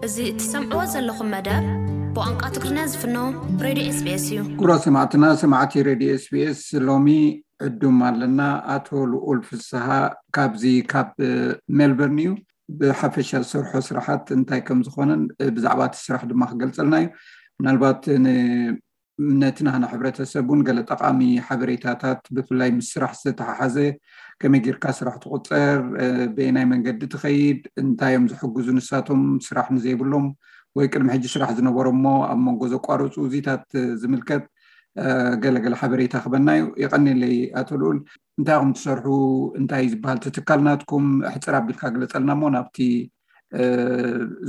እዚ እትሰምዕዎ ዘለኹም መደብ ብቋንቋ ትግርኛ ዝፍኖ ሬድዮ ኤስቢኤስ እዩ። ክቡራት ሰማዕትና፣ ሰማዕቲ ሬድዮ ኤስቢኤስ፣ ሎሚ ዕዱም ኣለና። ኣቶ ልኡል ፍስሃ ካብዚ ካብ ሜልበርን እዩ። ብሓፈሻ ዝሰርሖ ስራሓት እንታይ ከም ዝኾነን ብዛዕባ እቲ ስራሕ ድማ ክገልጸልና እዩ። ምናልባት ን- ነቲ ናህና ሕብረተሰብ እውን ገለ ጠቓሚ ሓበሬታታት፣ ብፍላይ ምስ ስራሕ ዝተተሓሓዘ፣ ከመይ ጌርካ ስራሕ ትቑጸር፣ በየናይ መንገዲ ትኸይድ፣ እንታይ እዮም ዝሕግዙ ንሳቶም ስራሕ ንዘይብሎም ወይ ቅድሚ ሕጂ ስራሕ ዝነበሮም እሞ ኣብ መንጎ ዘቋረፁ፣ እዚታት ዝምልከት ገለገለ ሓበሬታ ክበና እዩ። የቐኒለይ ኣቶ ልኡል። እንታይ ኢኹም ትሰርሑ? እንታይ ዝበሃል እቲ ትካል ናትኩም? ሕፅር ኣቢልካ ግለፀልና እሞ ናብቲ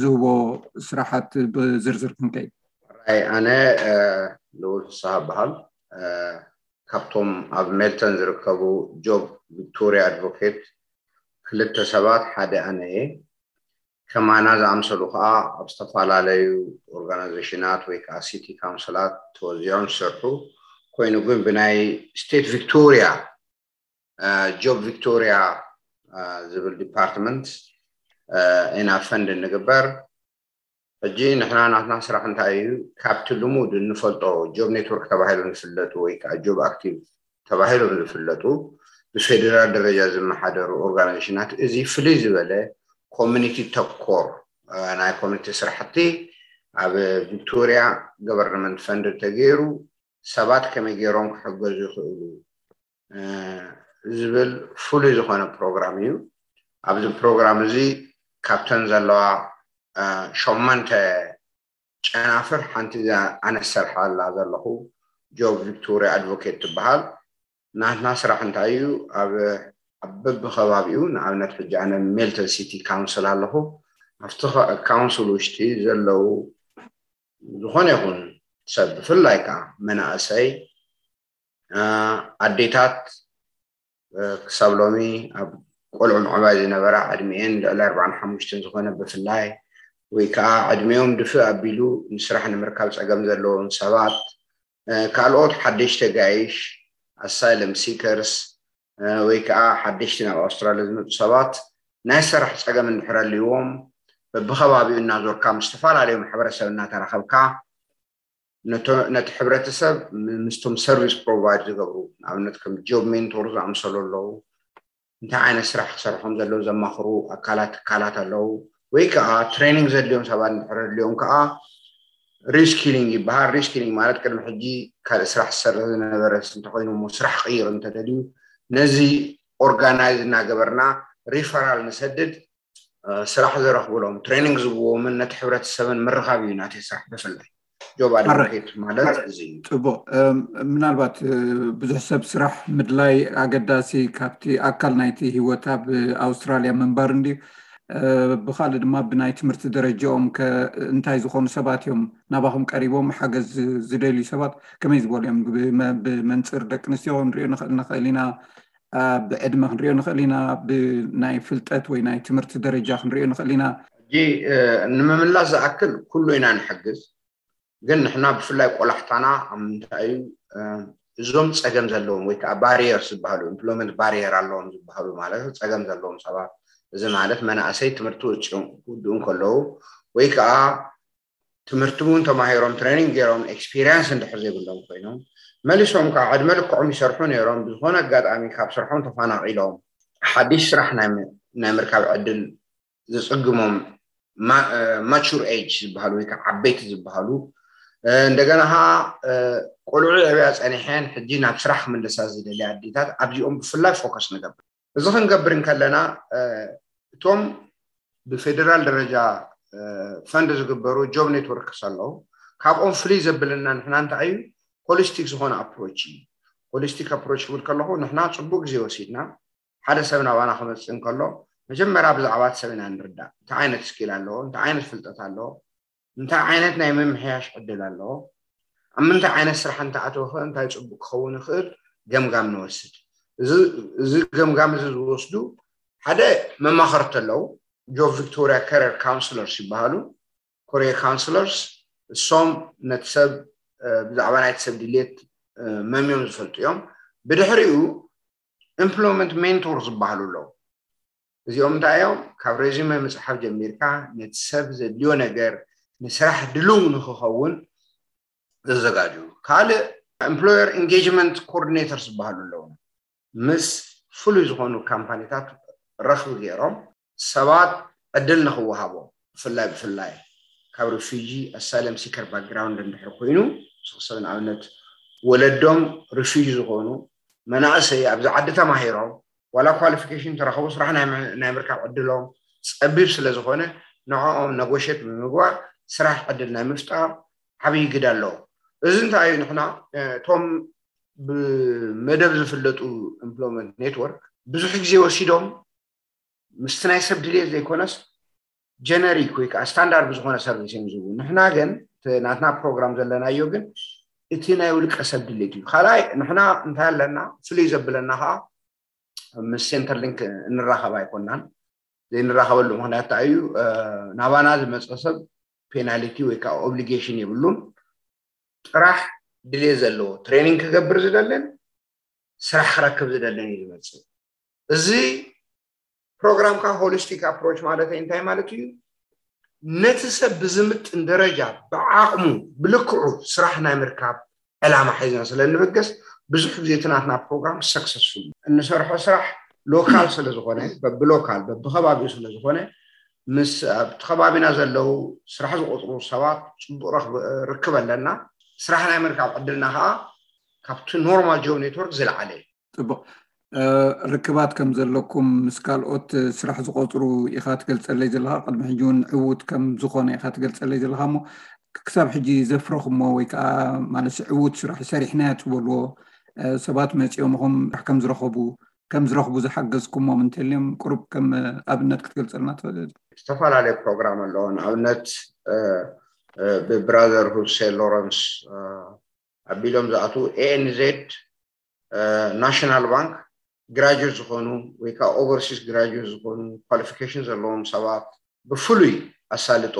ዝህቦ ስራሓት ብዝርዝር ክንከይድ። ራይ ኣነ ልኡል ፍስሃ በሃል። ካብቶም ኣብ ሜልተን ዝርከቡ ጆብ ቪክቶሪያ ኣድቮኬት ክልተ ሰባት ሓደ ኣነ እየ። ከማና ዝኣምሰሉ ከዓ ኣብ ዝተፈላለዩ ኦርጋናይዜሽናት ወይ ከዓ ሲቲ ካውንስላት ተወዚዖም ዝሰርሑ ኮይኑ ግን ብናይ ስቴት ቪክቶሪያ ጆብ ቪክቶሪያ ዝብል ዲፓርትመንት ኢና ፈንድ እንግበር። ሕጂ ንሕና ናትና ስራሕ እንታይ እዩ? ካብቲ ልሙድ እንፈልጦ ጆብ ኔትወርክ ተባሂሎም ዝፍለጡ ወይ ከዓ ጆብ ኣክቲቭ ተባሂሎም ዝፍለጡ ብፌዴራል ደረጃ ዝመሓደሩ ኦርጋናይዜሽናት እዚ ፍልይ ዝበለ ኮሚኒቲ ተኮር ናይ ኮሚኒቲ ስራሕቲ ኣብ ቪክቶሪያ ገቨርንመንት ፈንድ ተገይሩ ሰባት ከመይ ገይሮም ክሕገዙ ይኽእሉ ዝብል ፍሉይ ዝኾነ ፕሮግራም እዩ። ኣብዚ ፕሮግራም እዚ ካብተን ዘለዋ ሸሞንተ ጨናፍር ሓንቲ ኣነ ዝሰርሓላ ዘለኹ ጆብ ቪክቶሪያ ኣድቮኬት ትበሃል። ናትና ስራሕ እንታይ እዩ? ኣብ በብከባቢኡ ንኣብነት ሕጂ ኣነ ሜልተን ሲቲ ካውንስል ኣለኹ። ኣብቲ ካውንስል ውሽጢ ዘለዉ ዝኾነ ይኹን ሰብ ብፍላይ ከዓ መናእሰይ ኣዴታት ክሳብ ሎሚ ኣብ ቆልዑ ምዕባይ ዝነበራ ዕድሚኤን ልዕሊ ኣርባዓን ሓሙሽተን ዝኾነ ብፍላይ ወይ ከዓ ዕድሚኦም ድፍእ ኣቢሉ ንስራሕ ንምርካብ ፀገም ዘለዎም ሰባት ካልኦት ሓደሽቲ ጋይሽ ኣሳይለም ሲከርስ ወይ ከዓ ሓደሽቲ ናብ ኣውስትራልያ ዝመፁ ሰባት ናይ ስራሕ ፀገም እንድሕር ኣልዎም በብከባቢኡ እናዞርካ ምስ ዝተፈላለዩ ማሕበረሰብ እናተራኸብካ ነቲ ሕብረተሰብ ምስቶም ሰርቪስ ፕሮቫይድ ዝገብሩ ንኣብነት ከም ጆብ ሜንቶር ዝኣምሰሉ ኣለዉ። እንታይ ዓይነት ስራሕ ክሰርሖም ዘለዉ ዘማኽሩ ኣካላት ትካላት ኣለዉ ወይ ከዓ ትሬኒንግ ዘድልዮም ሰባት እንድሕር ኣድልዮም ከዓ ሪስኪሊንግ ይበሃል። ሪስኪሊንግ ማለት ቅድሚ ሕጂ ካልእ ስራሕ ዝሰርሕ ዝነበረ እንተኮይኑ እሞ ስራሕ ክቅይር እንተደልዩ ነዚ ኦርጋናይዝ እናገበርና ሪፈራል ንሰድድ ስራሕ ዝረኽብሎም ትሬኒንግ ዝብዎምን ነቲ ሕብረተሰብን ምርኻብ እዩ ናተይ ስራሕ ብፍላይ ጆብ ኣድቮኬት ማለት እዚ እዩ። ፅቡቅ። ምናልባት ብዙሕ ሰብ ስራሕ ምድላይ ኣገዳሲ ካብቲ ኣካል ናይቲ ሂወት ኣብ ኣውስትራልያ ምንባር እንድዩ። ብካልእ ድማ ብናይ ትምህርቲ ደረጃኦም እንታይ ዝኾኑ ሰባት እዮም ናባኹም ቀሪቦም ሓገዝ ዝደልዩ ሰባት ከመይ ዝበሉ እዮም? ብመንፅር ደቂ ኣንስትዮ ክንሪኦ ንኽእል ንኽእል ኢና፣ ብዕድመ ክንሪኦ ንኽእል ኢና፣ ብናይ ፍልጠት ወይ ናይ ትምህርቲ ደረጃ ክንሪኦ ንኽእል ኢና። ሕጂ ንምምላስ ዝኣክል ኩሉ ኢና ንሕግዝ፣ ግን ንሕና ብፍላይ ቆላሕታና ኣብ ምንታይ እዩ እዞም ፀገም ዘለዎም ወይ ከዓ ባሪየር ዝበሃሉ ኢምፕሎይመንት ባሪየር ኣለዎም ዝበሃሉ ማለት ፀገም ዘለዎም ሰባት፣ እዚ ማለት መናእሰይ ትምህርቲ ወፂኦም ክውድኡ እንከለዉ ወይ ከዓ ትምህርቲ እውን ተማሂሮም ትሬኒንግ ገይሮም ኤክስፒሪንስ እንድሕር ዘይብሎም ኮይኖም መሊሶም ከዓ ዕድመ ልክዖም ይሰርሑ ነይሮም ብዝኾነ ኣጋጣሚ ካብ ስርሖም ተፋናቂሎም ሓድሽ ስራሕ ናይ ምርካብ ዕድል ዝፅግሞም ማቹር ኤጅ ዝበሃሉ ወይ ከዓ ዓበይቲ ዝበሃሉ እንደገና ከዓ ቆልዑ ዕብያ ፀኒሐን ሕጂ ናብ ስራሕ ክምልሳ ዝደልያ ኣዴታት ኣብዚኦም ብፍላይ ፎከስ ንገብር። እዚ ክንገብር እንከለና እቶም ብፌደራል ደረጃ ፈንድ ዝግበሩ ጆብ ኔትወርክስ ኣለዉ። ካብኦም ፍልይ ዘብለና ንሕና እንታይ እዩ ሆሊስቲክ ዝኾነ ኣፕሮች እዩ። ሆሊስቲክ ኣፕሮች ክብል ከለኹ ንሕና ፅቡቅ ግዜ ወሲድና ሓደ ሰብ ናባና ክመፅእ እንከሎ መጀመርያ ብዛዕባ እቲ ሰብ ኢና ንርዳእ። እንታይ ዓይነት ስኪል ኣለዎ፣ እንታይ ዓይነት ፍልጠት ኣለዎ፣ እንታይ ዓይነት ናይ ምምሕያሽ ዕድል ኣለዎ፣ ኣብ ምንታይ ዓይነት ስራሕ እንተኣተወ ከ እንታይ ፅቡቅ ክኸውን ይኽእል ገምጋም ንወስድ። እዚ ገምጋም እዚ ዝወስዱ ሓደ መማኸርቲ ኣለዉ፣ ጆብ ቪክቶሪያ ካሪየር ካውንስለርስ ይበሃሉ። ኮሪያ ካውንስለርስ እሶም ነቲ ሰብ ብዛዕባ ናይቲ ሰብ ድሌት መምዮም ዝፈልጡ እዮም። ብድሕሪኡ ኢምፕሎይመንት ሜንቶር ዝበሃሉ ኣለዉ። እዚኦም እንታይ እዮም? ካብ ሬዚመ ምፅሓፍ ጀሚርካ ነቲ ሰብ ዘድልዮ ነገር ንስራሕ ድልው ንክኸውን ዘዘጋጅው። ካልእ employer engagement coordinators ዝበሃሉ ኣለዉ። ምስ ፍሉይ ዝኾኑ ካምፓኒታት ረኽቢ ገይሮም ሰባት ዕድል ንክወሃቦም፣ ብፍላይ ብፍላይ ካብ refugee asylum seeker background እንድሕር ኮይኑ፣ ሰብ ንኣብነት ወለዶም refugee ዝኾኑ መናእሰይ ኣብዚ ዓዲ ተማሂሮም ዋላ qualification ተረኸቡ ስራሕ ናይ ምርካብ ዕድሎም ፀቢብ ስለ ዝኾነ ንዕኦም ነጎሸት ብምግባር ስራሕ ዕድል ናይ ምፍጣር ዓብዪ ግደ ኣለዎ። እዚ እንታይ እዩ? ንሕና እቶም ብመደብ ዝፍለጡ employment network ብዙሕ ግዜ ወሲዶም ምስቲ ናይ ሰብ ድልየት ዘይኮነስ generic ወይ ከዓ ስታንዳርድ ብዝኾነ ሰርቪስ እዮም ዝህቡ። ንሕና ግን ናትና ፕሮግራም ዘለናዮ ግን እቲ ናይ ውልቀ ሰብ ድሌት እዩ። ካልኣይ ንሕና እንታይ ኣለና ፍልይ ዘብለና ከዓ ምስ ሴንተር ሊንክ እንራኸብ ኣይኮናን። ዘይንራኸበሉ ምክንያት እንታይ እዩ? ናባና ዝመፀ ሰብ ፔናሊቲ ወይ ከዓ ኦብሊጌሽን የብሉን። ጥራሕ ድሌት ዘለዎ ትሬኒንግ ክገብር ዝደልን ስራሕ ክረክብ ዝደልን እዩ ዝመፅእ። እዚ ፕሮግራምካ ሆሊስቲክ ኣፕሮች ማለት እንታይ ማለት እዩ? ነቲ ሰብ ብዝምጥን ደረጃ ብዓቕሙ ብልክዑ ስራሕ ናይ ምርካብ ዕላማ ሒዝና ስለ እንብገስ ብዙሕ ግዜ እቲ ናትና ፕሮግራም ሰክሰስፉል። እንሰርሖ ስራሕ ሎካል ስለ ዝኾነ፣ በብሎካል በብከባቢኡ ስለ ዝኾነ ምስ ኣብቲ ከባቢና ዘለዉ ስራሕ ዝቆፅሩ ሰባት ፅቡቅ ርክብ ኣለና። ስራሕ ናይ ምርካብ ዕድልና ከዓ ካብቲ ኖርማል ጆብ ኔትወርክ ዝለዓለ እዩ። ፅቡቅ። ርክባት ከም ዘለኩም ምስ ካልኦት ስራሕ ዝቆፅሩ ኢኻ ትገልፀለይ ዘለካ። ቅድሚ ሕጂ እውን ዕዉት ከም ዝኾነ ኢኻ ትገልፀለይ ዘለካ። እሞ ክሳብ ሕጂ ዘፍረኹሞ ወይ ከዓ ማለት ዕዉት ስራሕ ሰሪሕናዮ ትበልዎ ሰባት መፂኦምኹም ከም ዝረኸቡ ከም ዝረኽቡ ዝሓገዝኩሞም እንተልዮም ቁሩብ ከም ኣብነት ክትገልፀልና ትኽእል? ዝተፈላለዩ ፕሮግራም ኣለዎ። ንኣብነት ብብራዘርሁድ ሴንት ሎረንስ ኣቢሎም ዝኣትዉ ኤኤንዜድ፣ ናሽናል ባንክ ግራጁዌት ዝኾኑ ወይ ከዓ ኦቨርሲስ ግራጁዌት ዝኾኑ ኳሊፊኬሽን ዘለዎም ሰባት ብፍሉይ ኣሳልጦ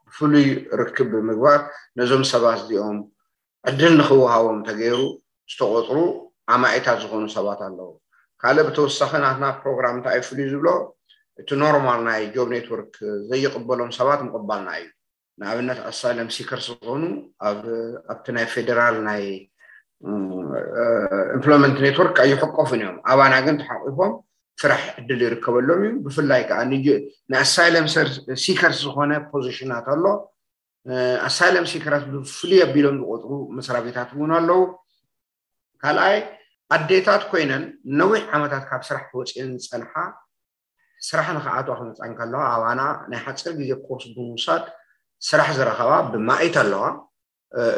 ብፍሉይ ርክብ ብምግባር ነዞም ሰባት እዚኦም ዕድል ንክወሃቦም ተገይሩ ዝተቆፅሩ ኣማኢታት ዝኾኑ ሰባት ኣለዉ። ካልእ ብተወሳኺ ናትና ፕሮግራም እንታይ እዩ ፍሉይ ዝብሎ እቲ ኖርማል ናይ ጆብ ኔትወርክ ዘይቅበሎም ሰባት ምቕባልና እዩ። ንኣብነት ኣሳይለም ሲከርስ ዝኾኑ ኣብቲ ናይ ፌደራል ናይ ኢምፕሎይመንት ኔትወርክ ኣይሕቆፉን እዮም። ኣባና ግን ተሓቂፎም ስራሕ ዕድል ይርከበሎም እዩ። ብፍላይ ከዓ ንኣሳይለም ሲከርስ ዝኾነ ፖዚሽናት ኣሎ። ኣሳይለም ሲከርስ ብፍሉይ ኣቢሎም ዝቆፅሩ መስሪያ ቤታት እውን ኣለዉ። ካልኣይ ኣዴታት ኮይነን ነዊሕ ዓመታት ካብ ስራሕ ተወፂአን ዝፀንሓ ስራሕ ንክኣትዋ ክመፃ እንከለዋ ኣባና ናይ ሓፂር ግዜ ኮርስ ብምውሳድ ስራሕ ዝረኸባ ብማኢት ኣለዋ።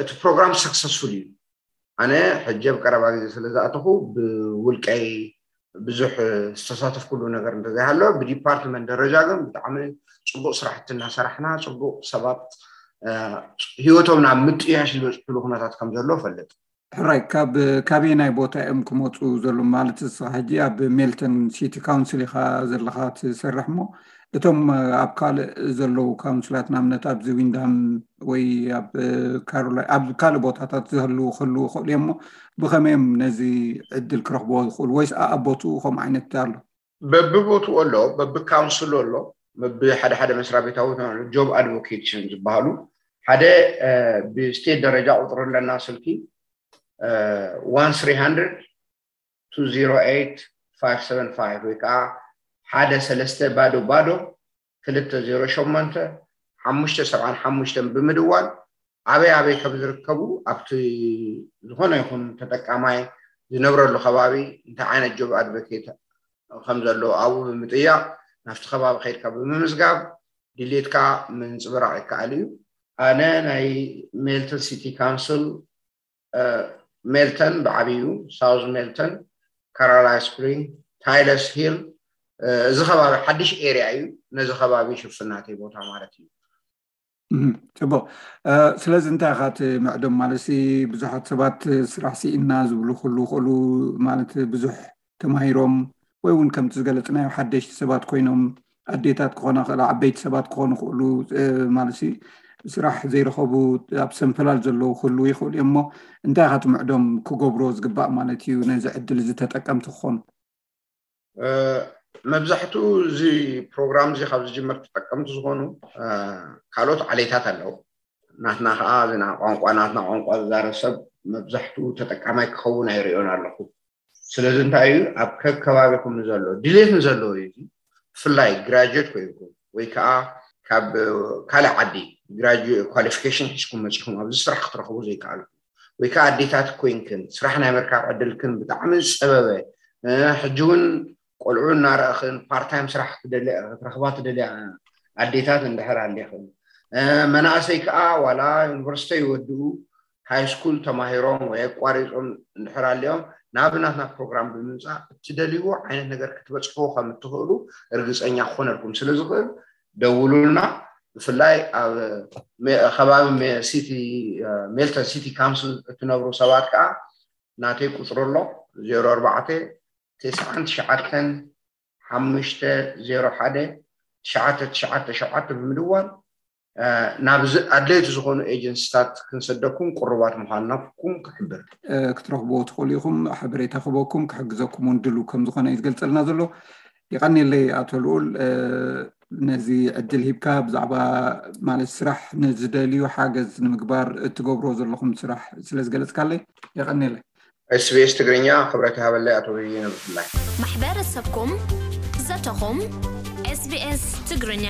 እቲ ፕሮግራም ሰክሰስፉል እዩ። ኣነ ሕጂ ኣብ ቀረባ ግዜ ስለ ዝኣተኹ ብውልቀይ ብዙሕ ዝተሳተፍኩሉ ነገር እንተዘይሃለወ ብዲፓርትመንት ደረጃ ግን ብጣዕሚ ፅቡቅ ስራሕቲ እናሰራሕና ፅቡቅ ሰባት ሂወቶም ናብ ምጥያሽ ዝበፅሕሉ ኩነታት ከም ዘሎ እፈልጥ። ሕራይ ካብ ካበየናይ ቦታ እዮም ክመፁ ዘለዉ? ማለት ንስኻ ሕጂ ኣብ ሜልተን ሲቲ ካውንስል ኢኻ ዘለኻ ትሰርሕ እሞ እቶም ኣብ ካልእ ዘለዉ ካውንስላት ንኣብነት ኣብዚ ዊንዳም ወይ ኣብ ካሮላይ ኣብ ካልእ ቦታታት ዝህልዉ ክህልዉ ይኽእሉ እዮም እሞ ብኸመይ እዮም ነዚ ዕድል ክረኽብዎ ዝኽእሉ ወይስ ኣኣቦትኡ ከምኡ ዓይነት ኣሎ? በብቦትኡ ኣሎ፣ በብካውንስሉ ኣሎ፣ በብሓደ ሓደ መስሪያ ቤታዊ ጆብ ኣድቮኬሽን ዝበሃሉ ሓደ ብስቴት ደረጃ ቁፅሪ ኣለና ስልኪ one three hundred two zero eight five seven five ወይ ከዓ ሓደ ሰለስተ ባዶ ባዶ ክልተ ዜሮ ሸሞንተ ሓሙሽተ ሰብዓን ሓሙሽተን ብምድዋል ኣበይ ኣበይ ከም ዝርከቡ ኣብቲ ዝኾነ ይኹን ተጠቃማይ ዝነብረሉ ከባቢ እንታይ ዓይነት ጆብ ኣድቮኬት ከም ዘለዎ ኣብኡ ብምጥያቕ ናብቲ ከባቢ ከይድካ ብምምዝጋብ ድሌትካ ምንፅብራቕ ይከኣል እዩ። ኣነ ናይ ሜልተን ሲቲ ካውንስል ሜልተን ብዓብዩ ሳውዝ ሜልተን፣ ካሮላይ ስፕሪንግ፣ ታይለርስ ሂል፣ እዚ ከባቢ ሓድሽ ኤርያ እዩ። ነዚ ከባቢ ሽፍናተይ ቦታ ማለት እዩ። ፅቡቅ። ስለዚ እንታይ ኢኻ እቲ ምዕዶም ማለት ብዙሓት ሰባት ስራሕ ስኢና ዝብሉ ክህሉ ይኽእሉ ማለት ብዙሕ ተማሂሮም ወይ እውን ከምቲ ዝገለፅናዮ ሓደሽቲ ሰባት ኮይኖም ኣዴታት ክኾና ክእላ ዓበይቲ ሰባት ክኾኑ ክእሉ ማለት ስራሕ ዘይረኸቡ ኣብ ሰንፈላል ዘለዉ ክህሉ ይኽእሉ እዮም እሞ እንታይ ኢኻ እቲ ምዕዶም ክገብሮ ዝግባእ ማለት እዩ ነዚ ዕድል እዚ ተጠቀምቲ ክኾኑ? መብዛሕቱ እዚ ፕሮግራም እዚ ካብ ዝጅመር ተጠቀምቲ ዝኾኑ ካልኦት ዓሌታት ኣለዉ። ናትና ከዓ ዝና ቋንቋ ናትና ቋንቋ ዝዛረብ ሰብ መብዛሕቱ ተጠቃማይ ክኸውን ኣይርእዮን ኣለኹ። ስለዚ እንታይ እዩ ኣብ ከከባቢኹም ንዘሎ ድሌት ንዘለዎ እዩ። ብፍላይ ግራጁዌት ኮይንኩም ወይ ከዓ ካብ ካልእ ዓዲ ኳሊፊኬሽን ሒዝኩም መፂኹም ኣብዚ ስራሕ ክትረኽቡ ዘይከኣልኩም ወይ ከዓ ኣዴታት ኮይንክን ስራሕ ናይ ምርካብ ዕድልክን ብጣዕሚ ዝፀበበ ሕጂ እውን ቆልዑ እናረእኽን ፓርታይም ስራሕ ክትረኽባ ትደልያ ኣዴታት እንድሕር ኣሌኽን መናእሰይ ከዓ ዋላ ዩኒቨርሲቲ ይወድኡ ሃይስኩል ተማሂሮም ወይ ኣቋሪፆም እንድሕር ኣልዮም ናብ ናትና ፕሮግራም ብምምፃእ እትደልይዎ ዓይነት ነገር ክትበፅሕዎ ከም እትኽእሉ እርግፀኛ ክኾነልኩም ስለ ዝኽእል ደውሉልና። ብፍላይ ኣብ ከባቢ ሲቲ ሜልተን ሲቲ ካውንስል እትነብሩ ሰባት ከዓ ናተይ ቁፅሪ ኣሎ ዜሮ ኣርባዕተ ተስዓን ትሽዓተን ሓሙሽተ ዜሮ ሓደ ትሽዓተ ትሽዓተ ሸውዓተ ብምድዋል ናብ ኣድለይቲ ዝኾኑ ኤጀንሲታት ክንሰደኩም ቅሩባት ምዃንናኩም ክሕብር። ክትረኽብዎ ትኽእሉ ኢኹም። ሓበሬታ ክበኩም ክሕግዘኩም እውን ድሉ ከም ዝኾነ እዩ ዝገልጸልና ዘሎ። ይቐንየለይ ኣቶ ልኡል ነዚ ዕድል ሂብካ ብዛዕባ ማለት ስራሕ ንዝደልዩ ሓገዝ ንምግባር እትገብሮ ዘለኹም ስራሕ ስለ ዝገለጽካለይ የቐንየለይ። ኤስቢኤስ ትግርኛ ክብረት ይሃበለይ ኣቶ በየነ ብፍላይ። ማሕበረሰብኩም ዘተኹም ኤስቢኤስ ትግርኛ።